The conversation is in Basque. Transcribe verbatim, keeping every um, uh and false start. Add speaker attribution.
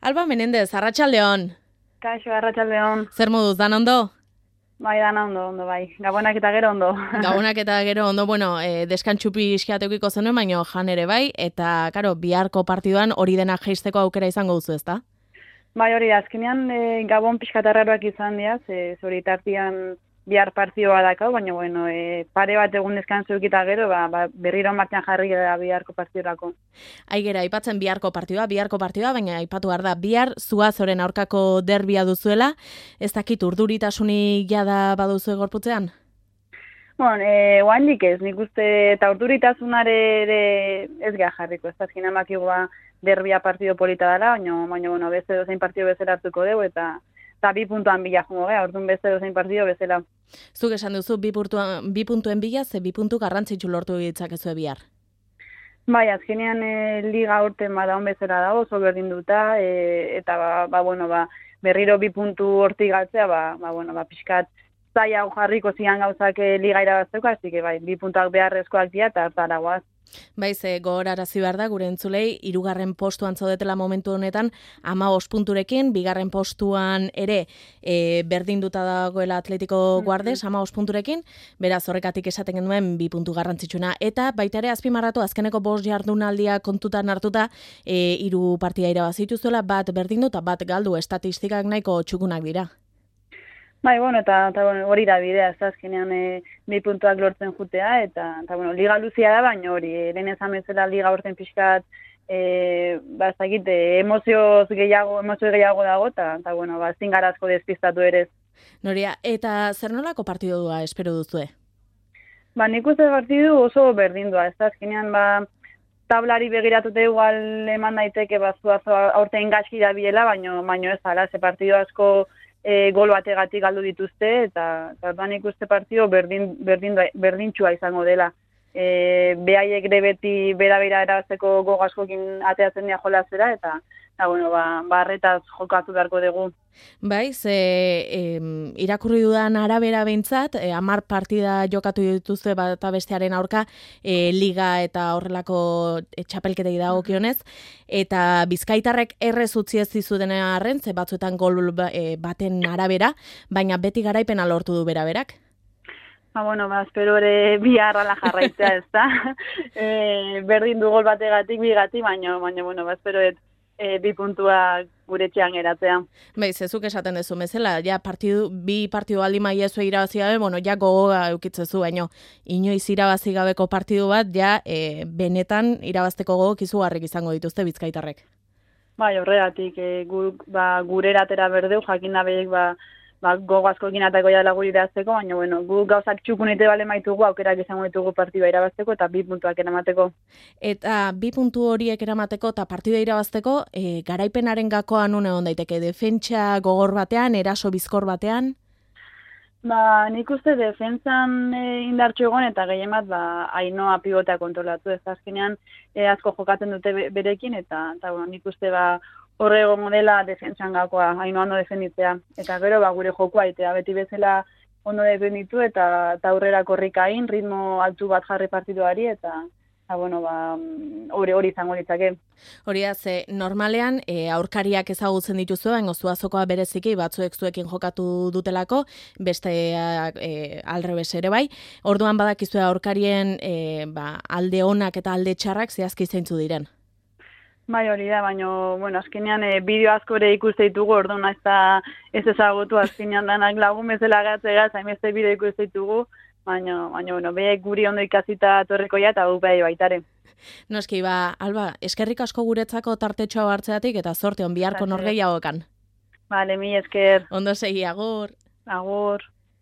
Speaker 1: Alba Menendez, arratsaldeon.
Speaker 2: Kaixo, arratsaldeon.
Speaker 1: Zer moduz, dan ondo?
Speaker 2: Bai, dana ondo, ondo, bai. Gabonak eta gero ondo.
Speaker 1: Gabonak eta gero ondo, bueno, e, deskantxupi iskiateukiko zenuen, baina jan ere bai, eta, karo, biharko partiduan hori dena jeisteko aukera izango duzu, ezta?
Speaker 2: Bai, hori da, azkenean e, Gabon pixkatarraroak izan diaz, e, zori tartian bihar partidua dakau, baina, bueno, e, pare bat egun deskantzu ekita gero, ba, ba, berriro martxan jarri gara biharko partidurako.
Speaker 1: Aigera, aipatzen biharko partidua, biharko partidua, baina aipatu behar da, bihar Zuazoren aurkako derbia duzuela, ez dakit urduritasunik jada baduzu gorputzean?
Speaker 2: Bueno, e, oandik ez, nik uste eta urduritasunare ere ez geha jarriko, ez azkenean bakigua derbia partido polita dela, baina, baina, bueno, beste dozein partido bezala hartuko dugu, eta eta bi puntuan bila jungo, eh? Orduan beste dozein partido bezala.
Speaker 1: Zuk esan duzu, bi, puntuan, bi puntuen bila, ze bi puntu garrantzitsu lortu ditzakezu bihar.
Speaker 2: Bai, azkenean e, liga urten bada on bezala dago, oso berdin duta, e, eta ba, ba, bueno, ba, berriro bi puntu hortik galtzea, ba, ba, bueno, ba, pixkat zaila jarriko zian gauzak e, liga irabazteko, hasi que bai, bi puntuak beharrezkoak dira, eta hartara guaz.
Speaker 1: Baiz, gogorarazi behar da, gure entzulei, hirugarren postuan zaudetela momentu honetan, hamabost punturekin, bigarren postuan ere e, berdinduta dagoela Atletico Guardes, hamabost punturekin, beraz horrekatik esaten genuen bi puntu garrantzitsuna. Eta baita ere azpimarratu azkeneko bost jardunaldia kontutan hartuta, e, hiru partida irabazituzuela, bat berdindu eta bat galdu, estatistikak nahiko txukunak dira.
Speaker 2: Bai, bueno, eta, eta bueno, hori da bidea, ez azkenean e, bi puntuak lortzen jutea, eta, eta bueno, liga luzia da, baina hori, e, lehen ezan bezala liga urten pixkat, e, ba, ez dakit, e, emozioz gehiago, emozio gehiago dago, eta, eta bueno, ba, ezin garazko despistatu ere.
Speaker 1: Noria, eta zer nolako partidua espero duzue?
Speaker 2: Ba, nik uste partidu oso berdindua, ez azkenean, ba, tablari begiratute igual eman daiteke, ba, Zuazo aurten gaizki da biela, baina, baina ez ala, ze partidu asko, E, gol bategatik galdu dituzte, eta orduan ikuste partio berdin, berdin, berdintxua izango dela. E, behaiek ere beti bera-bera erabazteko gogaskokin ateatzen dira jolazera, eta eta bueno, ba, barretaz jokatu beharko dugu.
Speaker 1: Bai, ze e, irakurri dudan arabera behintzat, e, hamar partida jokatu dituzte bat eta bestearen aurka, e, liga eta horrelako e, txapelketei dagokionez, eta bizkaitarrek errez utzi ez dizuten arren, ze batzuetan gol e, baten arabera, baina beti garaipena lortu du beraberak.
Speaker 2: Ba, bueno, ba, espero ere bihar ala jarraitzea, ez da. e, berdin du gol bategatik, bigatik, baina, baina, bueno, ba, espero et, e, bi puntua gure txean geratzea.
Speaker 1: Bai, zezuk esaten dezu bezala, ja partidu, bi partidu aldi maiezu irabazi gabe, bueno, ja gogoa eukitzezu, baino, inoiz irabazi gabeko partidu bat, ja, e, benetan irabazteko gogok izugarrik izango dituzte bizkaitarrek.
Speaker 2: Bai, horregatik, e, gu, ba, gure eratera berdeu, jakin nabeiek, ba, ba, gogo asko eginatako jala guri irazteko, baina, bueno, gu gauzak txukunite bale maitugu, aukerak izango ditugu partidua irabazteko eta bi puntuak eramateko.
Speaker 1: Eta bi puntu horiek eramateko eta partidua irabazteko, e, garaipenaren gakoa nun egon daiteke, defentsa gogor batean, eraso bizkor batean?
Speaker 2: Ba, nik uste defentsan e, indartxo egon eta gehien bat, ba, Ainoa pivotea kontrolatu, ez azkenean e, asko jokatzen dute berekin, eta, eta bueno, nik uste, ba, horre egongo dela defentsan gakoa, haino ondo defenditzea. Eta gero, ba, gure jokoa itea, beti bezala ondo defenditu eta, eta aurrera korrikain, ritmo altu bat jarri partiduari, eta, eta bueno, ba, hori hori izango ditzake.
Speaker 1: Hori da, ze normalean e, aurkariak ezagutzen dituzu, baina Zuazokoa bereziki batzuek zuekin jokatu dutelako, beste e, alrebes ere bai. Orduan badakizue aurkarien e, ba, alde onak eta alde txarrak zehazki zeintzu diren.
Speaker 2: Bai, hori da, baina, bueno, azkenean e, bideo asko ere ikuste ditugu, orduan ez da ez ezagutu, azkenean danak lagun bezala gatzega, zainbeste bideo ikuste ditugu, baina, baina, bueno, behe guri ondo ikasita torreko ja, eta gu beha baitare.
Speaker 1: Noski, ba, Alba, eskerrik asko guretzako tartetxoa hartzeatik, eta zorte on biharko norgehiagokan.
Speaker 2: Vale, mi esker.
Speaker 1: Ondo segi, agur.
Speaker 2: Agur.